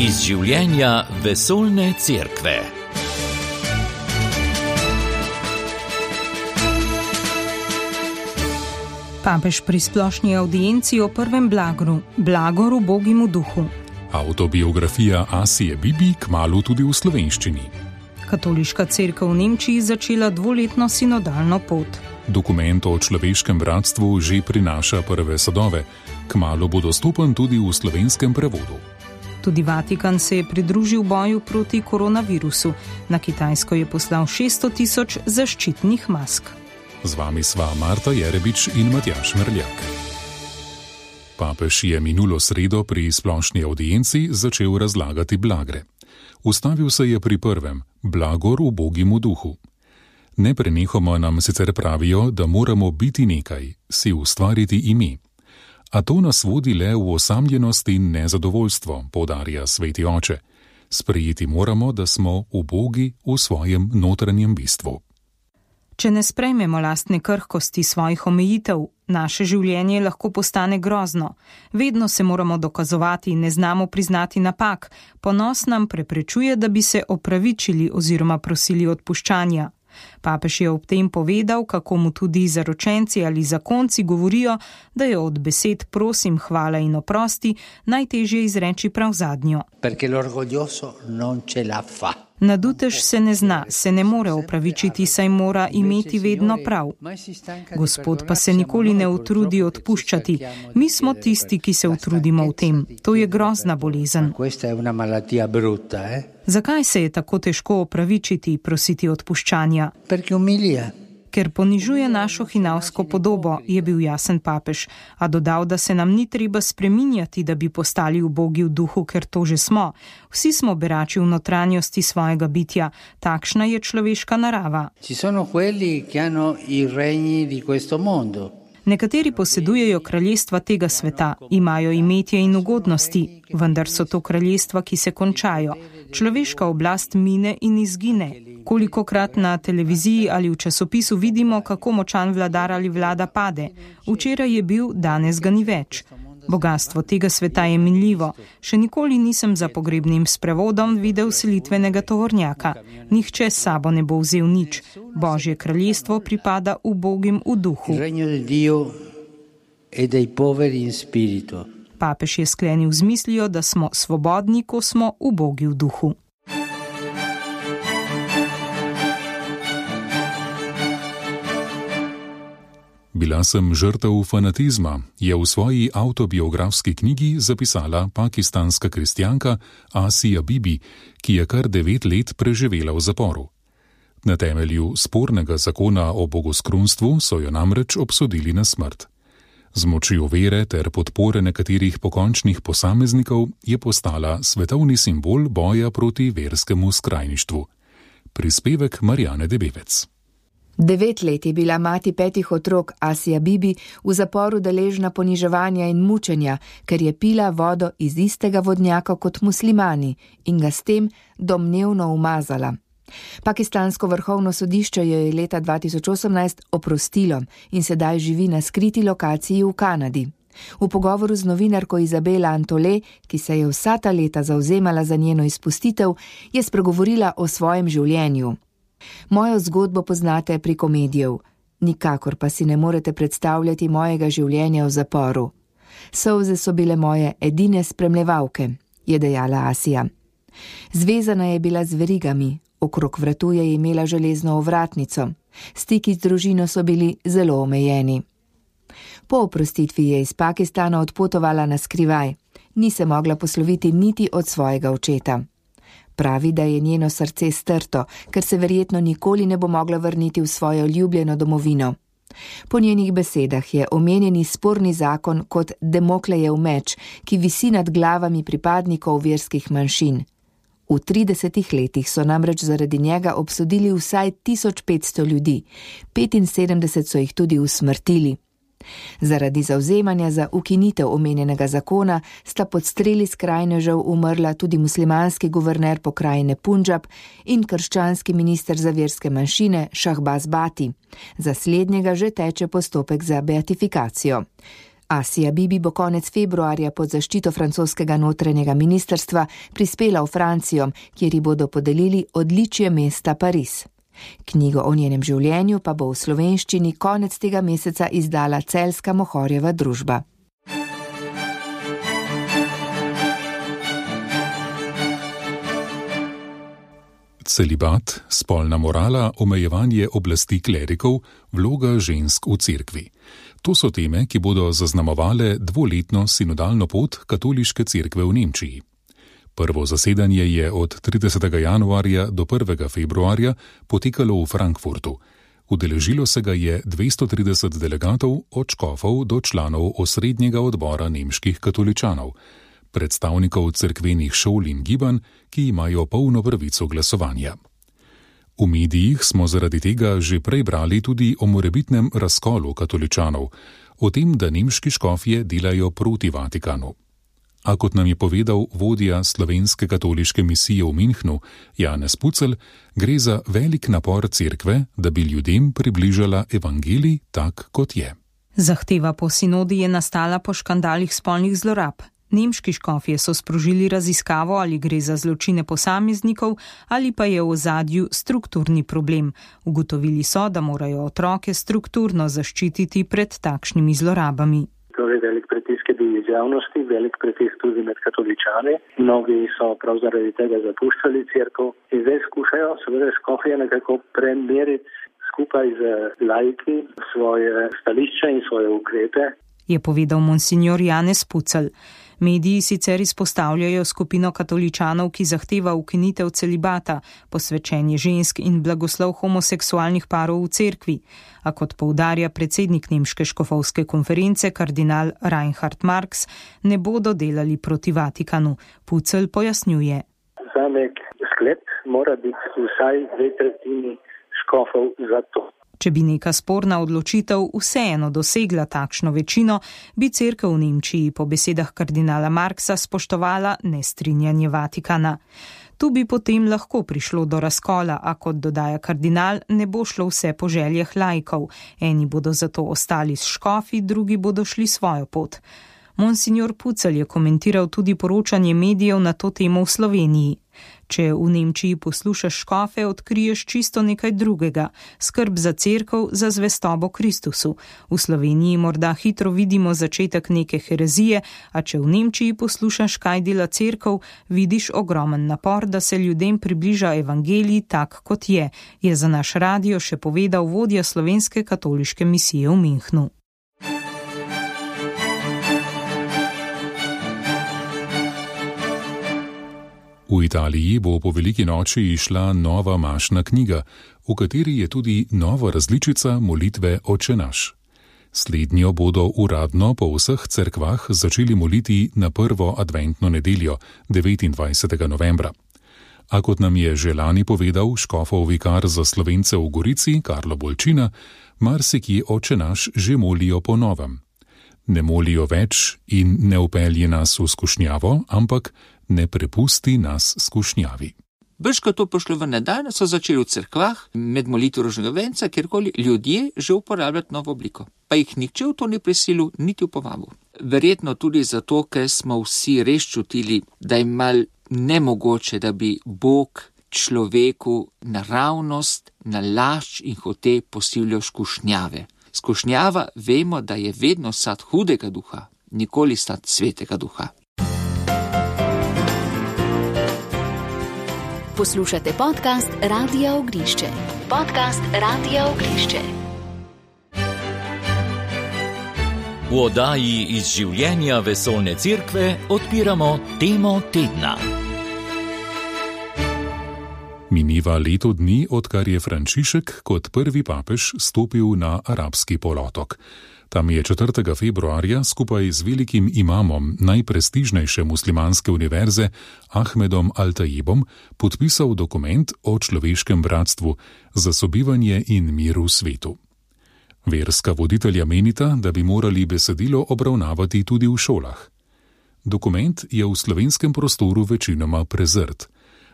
Iz življenja vesoljne cerkve. Papež pri splošni audienci o prvem blagoru Bogimu duhu. Autobiografija Asije Bibi kmalu tudi v slovenščini. Katoliška cerkev v Nemčiji začela 2-letno sinodalno pot. Dokument o človeškem bratstvu že prinaša prve sadove. Kmalu bo dostopen tudi v slovenskem prevodu. Tudi Vatikan se je pridružil boju proti koronavirusu. Na Kitajsko je poslal 600 000 zaščitnih mask. Z vami sva Marta Jerebič in Matjaž Merljak. Papež je minulo sredo pri splošni audienci začel razlagati blagre. Ustavil se je pri prvem, blagor v Bogimu duhu. Neprenehoma nam sicer pravijo, da moramo biti nekaj, si ustvariti ime. A to nas vodi le v osamljenost in nezadovoljstvo, poudarja sveti oče. Sprejeti moramo, da smo ubogi v svojem notranjem bistvu. Če ne sprejmemo lastne krhkosti svojih omejitev, naše življenje lahko postane grozno. Vedno se moramo dokazovati, ne znamo priznati napak. Ponos nam preprečuje, da bi se opravičili oziroma prosili odpuščanja. Papež je ob tem povedal, kako mu tudi zaročenci ali zakonci govorijo, da je od besed prosim, hvala in oprosti najtežje izreči prav zadnjo. Nadutež se ne zna, se ne more opravičiti, saj mora imeti vedno prav. Gospod pa se nikoli ne utrudi odpuščati. Mi smo tisti, ki se utrudimo v tem. To je grozna bolezen. Zakaj se je tako težko opravičiti, prositi odpuščanja? Ker ponižuje našo hinavsko podobo, je bil jasen papež, a dodal, da se nam ni treba spreminjati, da bi postali ubogi v duhu, ker to že smo. Vsi smo berači v notranjosti svojega bitja, takšna je človeška narava. Nekateri posedujejo kraljestva tega sveta, imajo imetje in ugodnosti, vendar so to kraljestva, ki se končajo. Človeška oblast mine in izgine. Kolikokrat na televiziji ali v časopisu vidimo, kako močan vladar ali vlada pade. Včeraj je bil, danes ga ni več. Bogastvo tega sveta je minljivo. Še nikoli nisem za pogrebnim sprevodom videl selitvenega tovornjaka. Nihče s sabo ne bo vzel nič. Božje kraljestvo pripada ubogim v duhu. Papež je sklenil z mislijo, da smo svobodni, ko smo ubogi v duhu. Bila sem žrtev fanatizma, je v svoji avtobiografski knjigi zapisala pakistanska kristjanka Asija Bibi, ki je kar 9 let preživela v zaporu. Na temelju spornega zakona o bogoskrunstvu so jo namreč obsodili na smrt. Z močjo vere ter podpore nekaterih pokončnih posameznikov je postala svetovni simbol boja proti verskemu skrajništvu. Prispevek Marjane Debevec. 9 let je bila mati 5 otrok Asija Bibi v zaporu deležna poniževanja in mučenja, ker je pila vodo iz istega vodnjaka kot muslimani in ga s tem domnevno umazala. Pakistansko vrhovno sodišče jo je leta 2018 oprostilo in sedaj živi na skriti lokaciji v Kanadi. V pogovoru z novinarko Izabela Antole, ki se je vsa ta leta zavzemala za njeno izpustitev, je spregovorila o svojem življenju. Mojo zgodbo poznate preko medijev, nikakor pa si ne morete predstavljati mojega življenja v zaporu. Solze so bile moje edine spremljevalke, je dejala Asija. Zvezana je bila z verigami, okrog vratu je imela železno ovratnico, stiki z družino so bili zelo omejeni. Po oprostitvi je iz Pakistana odpotovala na skrivaj, ni se mogla posloviti niti od svojega očeta. Pravi, da je njeno srce strto, ker se verjetno nikoli ne bo mogla vrniti v svojo ljubljeno domovino. Po njenih besedah je omenjeni sporni zakon kot Damoklejev meč, ki visi nad glavami pripadnikov verskih manjšin. V 30 letih so namreč zaradi njega obsodili vsaj 1500 ljudi, 75 so jih tudi usmrtili. Zaradi zavzemanja za ukinitev omenjenega zakona sta pod streli skrajnežev umrla tudi muslimanski guverner pokrajine Punjab in krščanski minister za verske manjšine Shahbaz Bhatti. Za slednjega že teče postopek za beatifikacijo. Asia Bibi bo konec februarja pod zaščito francoskega notranjega ministrstva prispela v Francijo, kjer ji bodo podelili odličje mesta Pariz. Knjigo o njenem življenju pa bo v slovenščini konec tega meseca izdala celjska Mohorjeva družba. Celibat, spolna morala, omejevanje oblasti klerikov, vloga žensk v cerkvi. To so teme, ki bodo zaznamovale dvoletno sinodalno pot katoliške cerkve v Nemčiji. Prvo zasedanje je od 30. januarja do 1. februarja potekalo v Frankfurtu. Udeležilo se ga je 230 delegatov od škofov do članov osrednjega odbora nemških katoličanov, predstavnikov cerkvenih šol in gibanj, ki imajo polno pravico glasovanja. V medijih smo zaradi tega že prej brali tudi o morebitnem razkolu katoličanov, o tem, da nemški škofje delajo proti Vatikanu. A kot nam je povedal vodja slovenske katoliške misije v Münchnu, Janez Pucelj, gre za velik napor cerkve, da bi ljudem približala evangelij tak, kot je. Zahteva po sinodi je nastala po škandalih spolnih zlorab. Nemški škofje so sprožili raziskavo, ali gre za zločine posameznikov ali pa je v ozadju strukturni problem. Ugotovili so, da morajo otroke strukturno zaščititi pred takšnimi zlorabami. Torej velik pritisk je bil iz javnosti, velik pritisk tudi med katoličani. Mnogi so prav zaradi tega zapuščali cerkev in zdaj skušajo seveda škofje nekako premeriti skupaj z laiki svoje stališče in svoje ukrepe. Je povedal monsignor Janez Pucelj. Mediji sicer izpostavljajo skupino katoličanov, ki zahteva ukinitev celibata, posvečenje žensk in blagoslov homoseksualnih parov v cerkvi. A kot poudarja predsednik nemške škofovske konference kardinal Reinhard Marx, ne bodo delali proti Vatikanu. Pucelj pojasnjuje. Za nek sklep mora biti vsaj 2/3 škofov za to. Če bi neka sporna odločitev vseeno dosegla takšno večino, bi cerkev v Nemčiji po besedah kardinala Marxa spoštovala nestrinjanje Vatikana. Tu bi potem lahko prišlo do razkola, a kot dodaja kardinal, ne bo šlo vse po željah laikov. Eni bodo zato ostali s škofi, drugi bodo šli svojo pot. Monsignor Pucelj je komentiral tudi poročanje medijev na to temo v Sloveniji. Če v Nemčiji poslušaš škofe, odkriješ čisto nekaj drugega, skrb za cerkev, za zvestobo Kristusu. V Sloveniji morda hitro vidimo začetek neke herezije, a če v Nemčiji poslušaš, kaj dela cerkev, vidiš ogromen napor, da se ljudem približa evangelij tak, kot je za naš radio še povedal vodja slovenske katoliške misije v Münchnu. V Italiji bo po veliki noči išla nova mašna knjiga, v kateri je tudi nova različica molitve Oče naš. Slednjo bodo uradno po vseh cerkvah začeli moliti na prvo adventno nedeljo, 29. novembra. A kot nam je že lani povedal škofov vikar za Slovence v Gorici, Karlo Bolčina, marsikje Oče naš že molijo po novem. Ne molijo več in ne upelje nas v skušnjavo, ampak ne prepusti nas skušnjavi. Brž ko to pošlo v nedeljo, so začeli v cerkvah med molitvo rožnega venca, kjerkoli ljudje že uporabljati novo obliko. Pa jih nihče v to ni prisilil, niti v povabu. Verjetno tudi zato, ker smo vsi res čutili, da je mal nemogoče, da bi Bog človeku naravnost, nalašč in hote posilil skušnjave. Skušnjava vemo, da je vedno sad hudega duha, nikoli sad svetega duha. Poslušate podcast Radia Ognišče. Podcast Radia Ognišče. V oddaji iz življenja vesoljne cerkve odpiramo temo tedna. Mineva leto dni, odkar je Frančišek kot prvi papež stopil na arabski polotok. Tam je 4. februarja skupaj z velikim imamom najprestižnejše muslimanske univerze Ahmedom Al-Tajibom podpisal dokument o človeškem bratstvu za sobivanje in mir v svetu. Verska voditelja menita, da bi morali besedilo obravnavati tudi v šolah. Dokument je v slovenskem prostoru večinoma prezrt.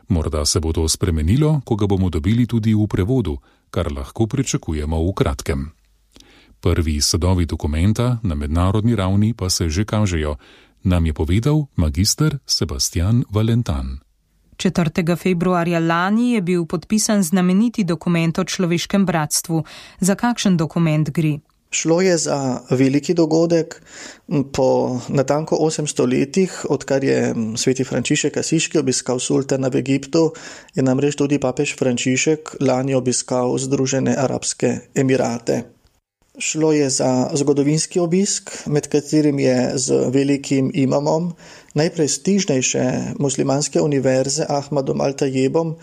Morda se bo to spremenilo, ko ga bomo dobili tudi v prevodu, kar lahko pričakujemo v kratkem. Prvi sadovi dokumenta na mednarodni ravni pa se že kažejo, nam je povedal magister Sebastian Valentan. 4. februarja lani je bil podpisan znameniti dokument o človeškem bratstvu. Za kakšen dokument gre? Šlo je za veliki dogodek. Po natanko 800 letih, odkar je sveti Frančišek Asiški obiskal sultana v Egiptu, je namreč tudi papež Frančišek lani obiskal Združene arabske emirate. Šlo je za zgodovinski obisk, med katerim je z velikim imamom najprestižnejše muslimanske univerze Ahmadom Al-Tajebom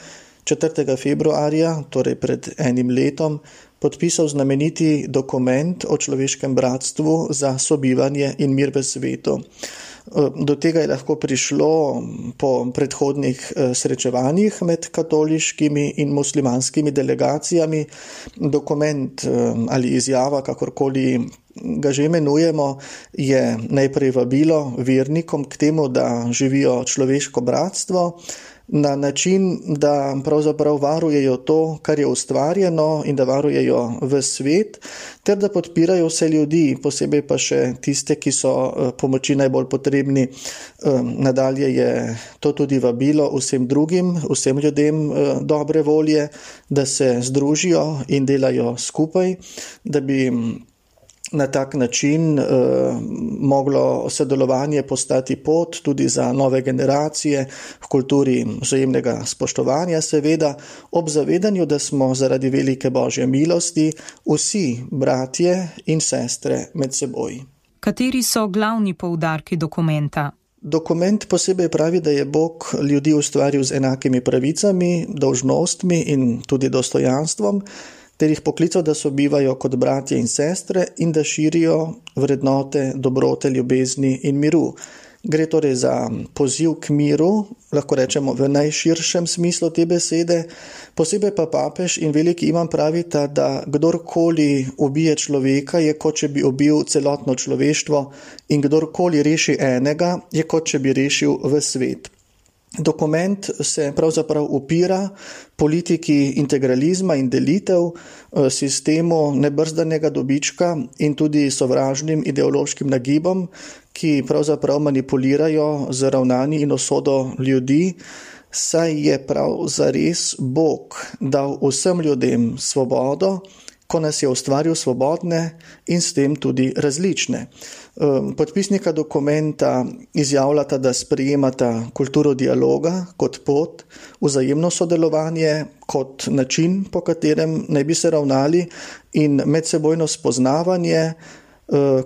4. februarja, torej pred enim letom, podpisal znameniti dokument o človeškem bratstvu za sobivanje in mir v svetu. Do tega je lahko prišlo po predhodnih srečevanjih med katoliškimi in muslimanskimi delegacijami. Dokument ali izjava, kakorkoli ga že imenujemo, je najprej vabilo vernikom k temu, da živijo človeško bratstvo na način, da pravzaprav varujejo to, kar je ustvarjeno, in da varujejo v svet, ter da podpirajo vse ljudi, posebej pa še tiste, ki so pomoči najbolj potrebni. Nadalje je to tudi vabilo vsem drugim, vsem ljudem dobre volje, da se združijo in delajo skupaj, da bi na tak način moglo sodelovanje postati pot tudi za nove generacije v kulturi vzajemnega spoštovanja, seveda ob zavedanju, da smo zaradi velike Božje milosti vsi bratje in sestre med seboj. Kateri so glavni poudarki dokumenta? Dokument posebej pravi, da je Bog ljudi ustvaril z enakimi pravicami, dolžnostmi in tudi dostojanstvom, ter jih poklical, da sobivajo kot bratje in sestre in da širijo vrednote, dobrote, ljubezni in miru. Gre torej za poziv k miru, lahko rečemo v najširšem smislu te besede. Posebej pa papež in veliki imam pravita, da kdorkoli ubije človeka, je kot če bi ubil celotno človeštvo, in kdorkoli reši enega, je kot če bi rešil v svet. Dokument se pravzaprav upira politiki integralizma in delitev, sistemu nebrzdanega dobička in tudi sovražnim ideološkim nagibom, ki pravzaprav manipulirajo z ravnanji in usodo ljudi, saj je prav zares Bog dal vsem ljudem svobodo, ko nas je ustvaril svobodne in s tem tudi različne. Podpisnika dokumenta izjavljata, da sprejemata kulturo dialoga kot pot, vzajemno sodelovanje kot način, po katerem naj bi se ravnali, in medsebojno spoznavanje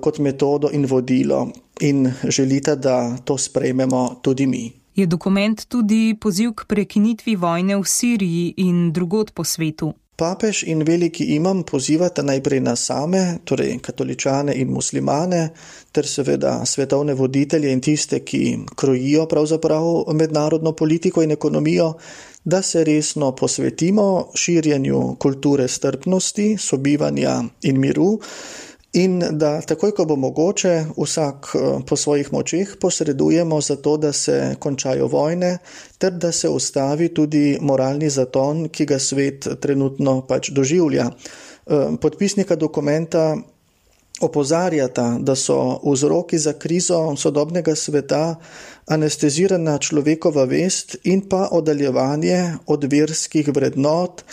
kot metodo in vodilo, in želita, da to sprejmemo tudi mi. Je dokument tudi poziv k prekinitvi vojne v Siriji in drugod po svetu? Papež in veliki imam pozivata najprej nas same, torej katoličane in muslimane, ter seveda svetovne voditelje in tiste, ki krojijo pravzaprav mednarodno politiko in ekonomijo, da se resno posvetimo širjenju kulture strpnosti, sobivanja in miru, in da takoj, ko bo mogoče, vsak po svojih močeh posredujemo za to, da se končajo vojne, ter da se ustavi tudi moralni zaton, ki ga svet trenutno pač doživlja. Podpisnika dokumenta opozarjata, da so vzroki za krizo sodobnega sveta anestezirana človekova vest in pa oddaljevanje od verskih vrednot,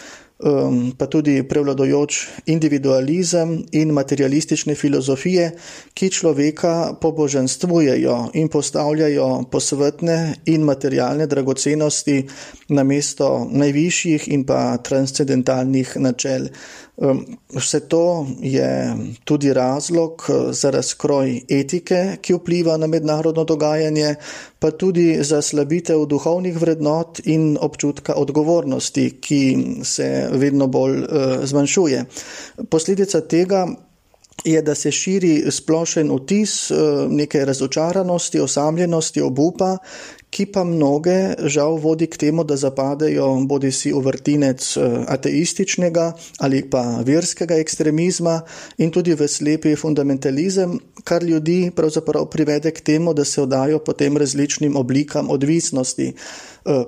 pa tudi prevladujoč individualizem in materialistične filozofije, ki človeka pobožanstvujejo in postavljajo posvetne in materialne dragocenosti namesto najvišjih in pa transcendentalnih načel. Vse to je tudi razlog za razkroj etike, ki vpliva na mednarodno dogajanje, pa tudi za slabitev duhovnih vrednot in občutka odgovornosti, ki se vedno bolj zmanjšuje. Posledica tega je, da se širi splošen vtis neke razočaranosti, osamljenosti, obupa, ki pa mnoge žal vodi k temu, da zapadejo bodisi v vrtinec ateističnega ali pa verskega ekstremizma in tudi v slepi fundamentalizem, kar ljudi pravzaprav privede k temu, da se oddajo potem različnim oblikam odvisnosti.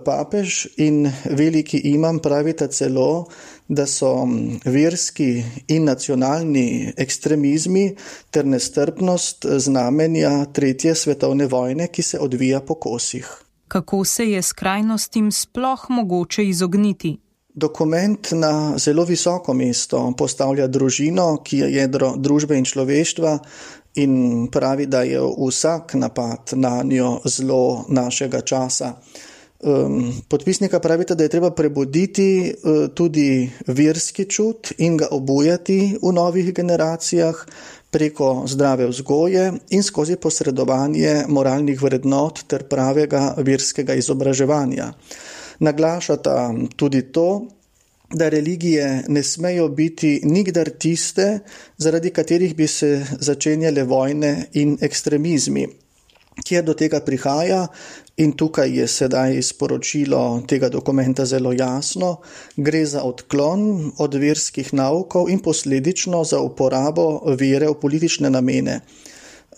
Papež in veliki imam pravita celo, da so verski in nacionalni ekstremizmi ter nestrpnost znamenja 3. svetovne vojne, ki se odvija po kosih. Kako se je skrajnostim sploh mogoče izogniti? Dokument na zelo visoko mesto postavlja družino, ki je jedro družbe in človeštva, in pravi, da je vsak napad na njo zlo našega časa. Podpisnika pravita, da je treba prebuditi tudi verski čut in ga obujati v novih generacijah preko zdrave vzgoje in skozi posredovanje moralnih vrednot ter pravega verskega izobraževanja. Naglašata tudi to, da religije ne smejo biti nikdar tiste, zaradi katerih bi se začenjale vojne in ekstremizmi. Kjer do tega prihaja, in tukaj je sedaj sporočilo tega dokumenta zelo jasno, gre za odklon od verskih naukov in posledično za uporabo vere v politične namene.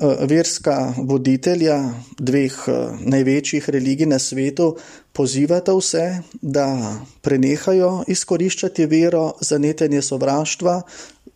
Verska voditelja 2 največjih religij na svetu pozivata vse, da prenehajo izkoriščati vero za netenje sovraštva,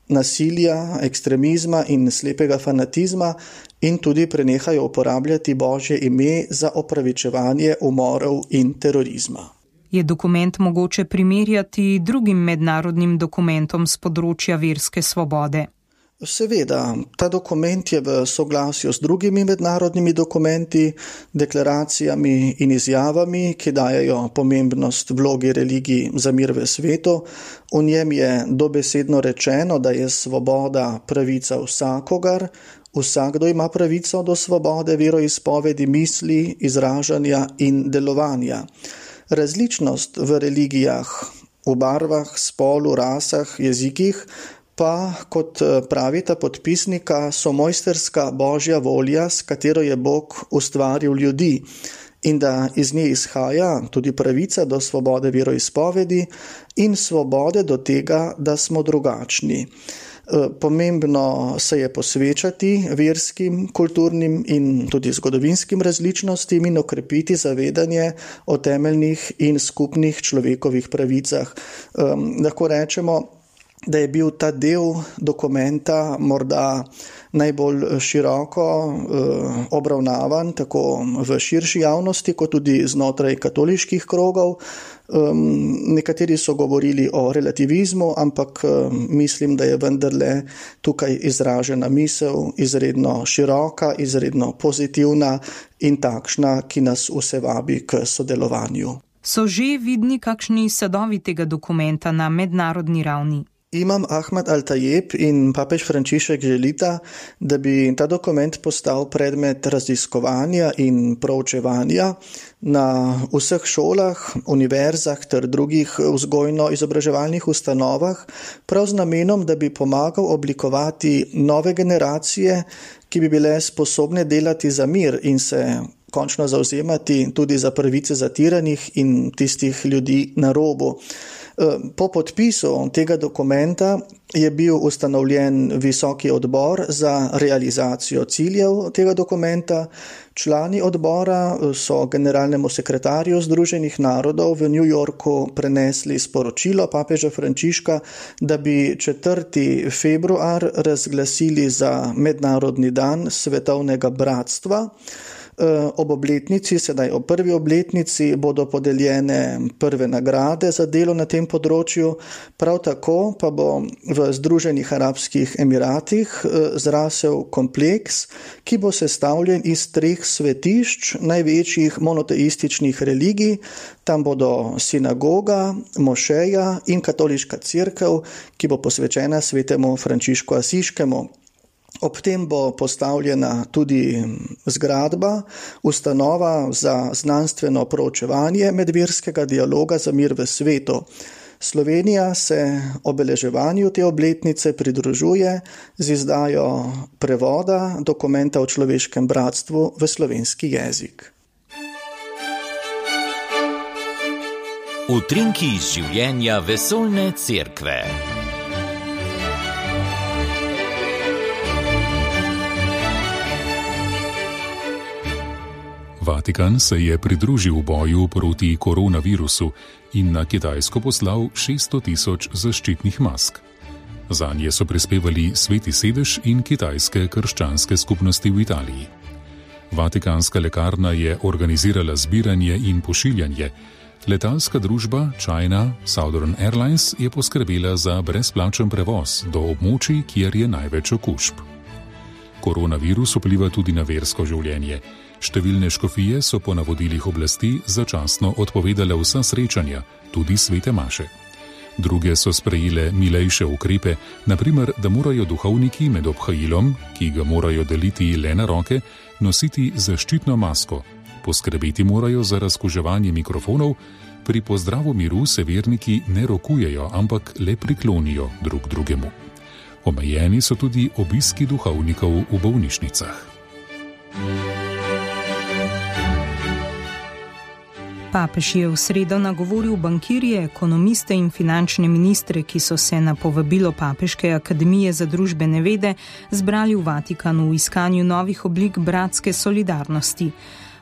nasilja, ekstremizma in slepega fanatizma in tudi prenehajo uporabljati Božje ime za opravičevanje umorov in terorizma. Je dokument mogoče primerjati drugim mednarodnim dokumentom z področja verske svobode? Seveda, ta dokument je v soglasju s drugimi mednarodnimi dokumenti, deklaracijami in izjavami, ki dajejo pomembnost vlogi religij za mir v svetu. V njem je dobesedno rečeno, da je svoboda pravica vsakogar, vsakdo ima pravico do svobode veroizpovedi, misli, izražanja in delovanja. Različnost v religijah, v barvah, spolu, rasah, jezikih, pa, kot pravita podpisnika, so mojsterska Božja volja, s katero je Bog ustvaril ljudi, in da iz nje izhaja tudi pravica do svobode veroizpovedi in svobode do tega, da smo drugačni. Pomembno se je posvečati verskim, kulturnim in tudi zgodovinskim različnostim in okrepiti zavedanje o temeljnih in skupnih človekovih pravicah. Lahko rečemo, da je bil ta del dokumenta morda najbolj široko obravnavan, tako v širši javnosti, kot tudi znotraj katoliških krogov. Nekateri so govorili o relativizmu, ampak mislim, da je vendarle tukaj izražena misel izredno široka, izredno pozitivna in takšna, ki nas vse vabi k sodelovanju. So že vidni kakšni sadovi tega dokumenta na mednarodni ravni? Imam Ahmad Al-Tajeb in papež Frančišek želita, da bi ta dokument postal predmet raziskovanja in proučevanja na vseh šolah, univerzah ter drugih vzgojno-izobraževalnih ustanovah, prav z namenom, da bi pomagal oblikovati nove generacije, ki bi bile sposobne delati za mir in se končno zavzemati tudi za pravice zatiranih in tistih ljudi na robu. Po podpisu tega dokumenta je bil ustanovljen visoki odbor za realizacijo ciljev tega dokumenta. Člani odbora so generalnemu sekretarju Združenih narodov v New Yorku prenesli sporočilo papeža Frančiška, da bi 4. februar razglasili za mednarodni dan svetovnega bratstva. Ob obletnici, sedaj ob 1. obletnici, bodo podeljene prve nagrade za delo na tem področju. Prav tako pa bo v Združenih arabskih emiratih zrasel kompleks, ki bo sestavljen iz 3 svetišč največjih monoteističnih religij. Tam bodo sinagoga, mošeja in katoliška cerkev, ki bo posvečena svetemu Frančišku Asiškemu. Ob tem bo postavljena tudi zgradba, ustanova za znanstveno proučevanje medverskega dialoga za mir v svetu. Slovenija se obeleževanju te obletnice pridružuje z izdajo prevoda dokumenta o človeškem bratstvu v slovenski jezik. Utrinki iz življenja vesoljne cerkve. Vatikan se je pridružil boju proti koronavirusu in na Kitajsko poslal 600 000 zaščitnih mask. Zanje so prispevali Sveti sedež in kitajske krščanske skupnosti v Italiji. Vatikanska lekarna je organizirala zbiranje in pošiljanje. Letalska družba China Southern Airlines je poskrbela za brezplačen prevoz do območij, kjer je največ okužb. Koronavirus vpliva tudi na versko življenje. Številne škofije so po navodilih oblasti začasno odpovedale vsa srečanja, tudi svete maše. Druge so sprejele milejše ukrepe, na primer, da morajo duhovniki med obhajilom, ki ga morajo deliti le na roke, nositi zaščitno masko. Poskrbeti morajo za razkuževanje mikrofonov, pri pozdravu miru se verniki ne rokujejo, ampak le priklonijo drug drugemu. Omejeni so tudi obiski duhovnikov v bolnišnicah. Papež je v sredo nagovoril bankirje, ekonomiste in finančne ministre, ki so se na povabilo Papeške akademije za družbene vede zbrali v Vatikanu v iskanju novih oblik bratske solidarnosti.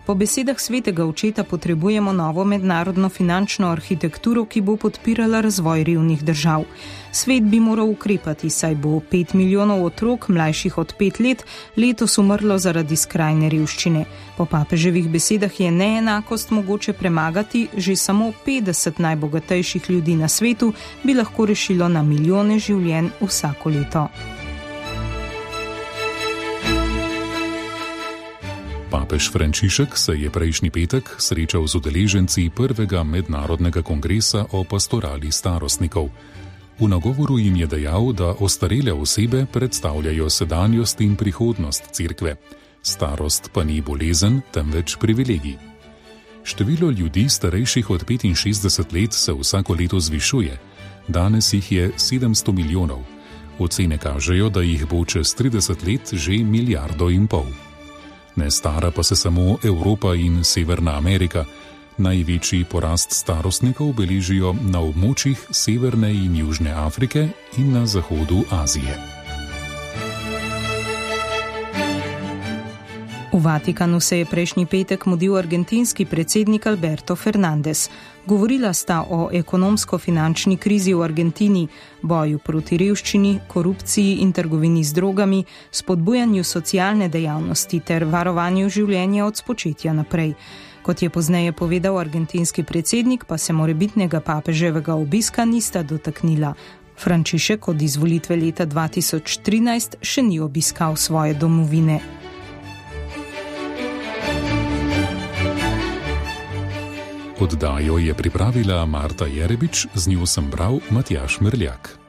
Po besedah svetega očeta potrebujemo novo mednarodno finančno arhitekturo, ki bo podpirala razvoj revnih držav. Svet bi moral ukrepati, saj bo 5 milijonov otrok, mlajših od 5 let, letos umrlo zaradi skrajne revščine. Po papeževih besedah je neenakost mogoče premagati, že samo 50 najbogatejših ljudi na svetu bi lahko rešilo na milijone življenj vsako leto. Papež Frančišek se je prejšnji petek srečal z udeleženci prvega mednarodnega kongresa o pastorali starostnikov. V nagovoru jim je dejal, da ostarele osebe predstavljajo sedanjost in prihodnost cerkve. Starost pa ni bolezen, temveč privilegij. Število ljudi starejših od 65 let se vsako leto zvišuje. Danes jih je 700 milijonov. Ocene kažejo, da jih bo čez 30 let že 1,5 milijarde. Ne stara pa se samo Evropa in Severna Amerika. Največji porast starostnikov beležijo na območjih Severne in Južne Afrike in na zahodu Azije. V Vatikanu se je prejšnji petek mudil argentinski predsednik Alberto Fernández. Govorila sta o ekonomsko-finančni krizi v Argentini, boju proti revščini, korupciji in trgovini z drogami, spodbujanju socialne dejavnosti ter varovanju življenja od spočetja naprej. Kot je pozneje povedal argentinski predsednik, pa se morebitnega papeževega obiska nista dotaknila. Frančišek od izvolitve leta 2013 še ni obiskal svoje domovine. Oddajo je pripravila Marta Jerebič, z njo sem bral Matjaž Mrljak.